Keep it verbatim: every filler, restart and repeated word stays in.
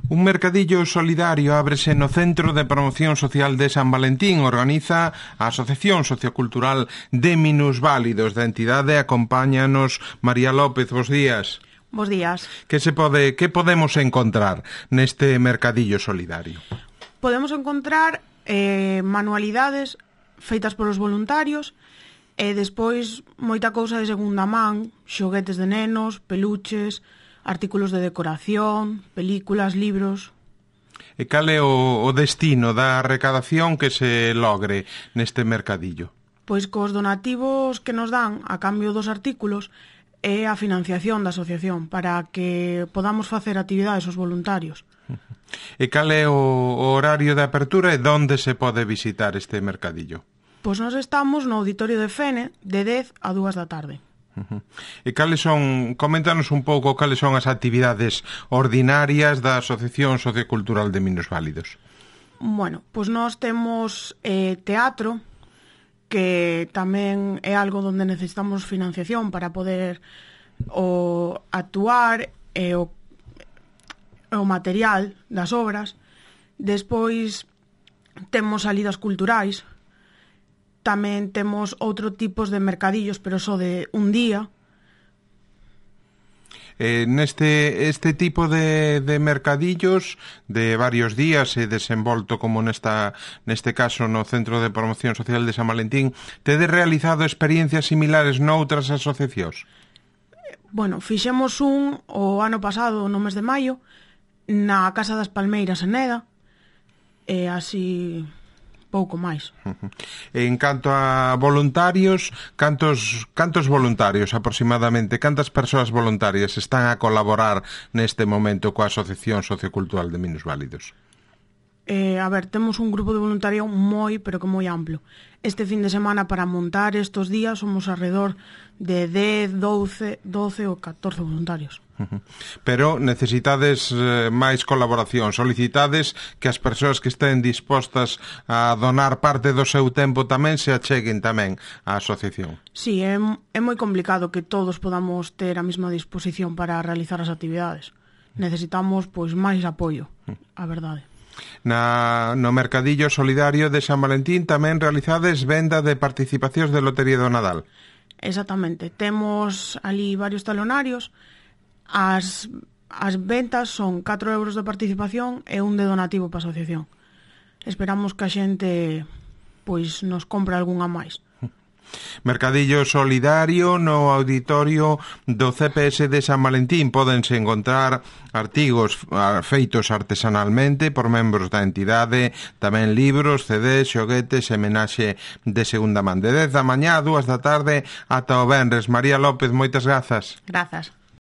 Un mercadillo solidario ábrese no Centro de Promoción Social de San Valentín. Organiza a Asociación Sociocultural de Minusválidos da entidade. Acompáñanos María López. Bos días. Bos días. Que se pode, que podemos encontrar neste mercadillo solidario? Podemos encontrar eh, manualidades feitas polos voluntarios e despois moita cousa de segunda man, xoguetes de nenos, peluches, artículos de decoración, películas, libros. E cal é o, o destino da recadación que se logre neste mercadillo? Pois cos donativos que nos dan a cambio dos artículos é a financiación da asociación para que podamos facer actividades aos voluntarios. E cal é o, o horario de apertura e onde se pode visitar este mercadillo? Pois nós estamos no auditorio de Fene de dez a dúas da tarde. Uh-huh. E cales son, coméntanos un pouco cales son as actividades ordinarias da Asociación Sociocultural de Minusválidos. Bueno, pois nós temos eh, teatro, que tamén é algo onde necesitamos financiación para poder o actuar e o, o material das obras. Despois temos salidas culturais. Tamén temos outro tipos de mercadillos, pero só de un día. Eh, neste este tipo de, de mercadillos de varios días e desenvolto como nesta neste caso no Centro de Promoción Social de San Valentín, tedes realizado experiencias similares noutras asociacións? Bueno, fixemos un o ano pasado, no mes de maio, na Casa das Palmeiras en Neda, e así pouco máis. En canto a voluntarios, cantos cantos voluntarios aproximadamente, cantas persoas voluntarias están a colaborar neste momento coa Asociación Sociocultural de Minusválidos? Eh, a ver, temos un grupo de voluntariado moi, pero que moi amplo. Este fin de semana para montar estos días somos alrededor de dez, doce, doce ou catorce voluntarios. Uh-huh. Pero necesitades eh, máis colaboración, solicitades que as persoas que estén dispostas a donar parte do seu tempo tamén se acheguen tamén á asociación. Sí, é, é moi complicado que todos podamos ter a mesma disposición para realizar as actividades. Necesitamos pois máis apoio, a verdade. Na, no Mercadillo Solidario de San Valentín tamén realizades venda de participacións de Lotería do Nadal. Exactamente, temos ali varios talonarios. As, as ventas son catro euros de participación e un de donativo para a asociación. Esperamos que a xente pois nos compre algunha máis. Mercadillo Solidario no auditorio do C P S de San Valentín. Pódense encontrar artigos feitos artesanalmente por membros da entidade, tamén libros, C Ds, xoguetes e menaxe de segunda man. De dez da mañá a dúas da tarde ata o venres. María López, moitas grazas. Grazas.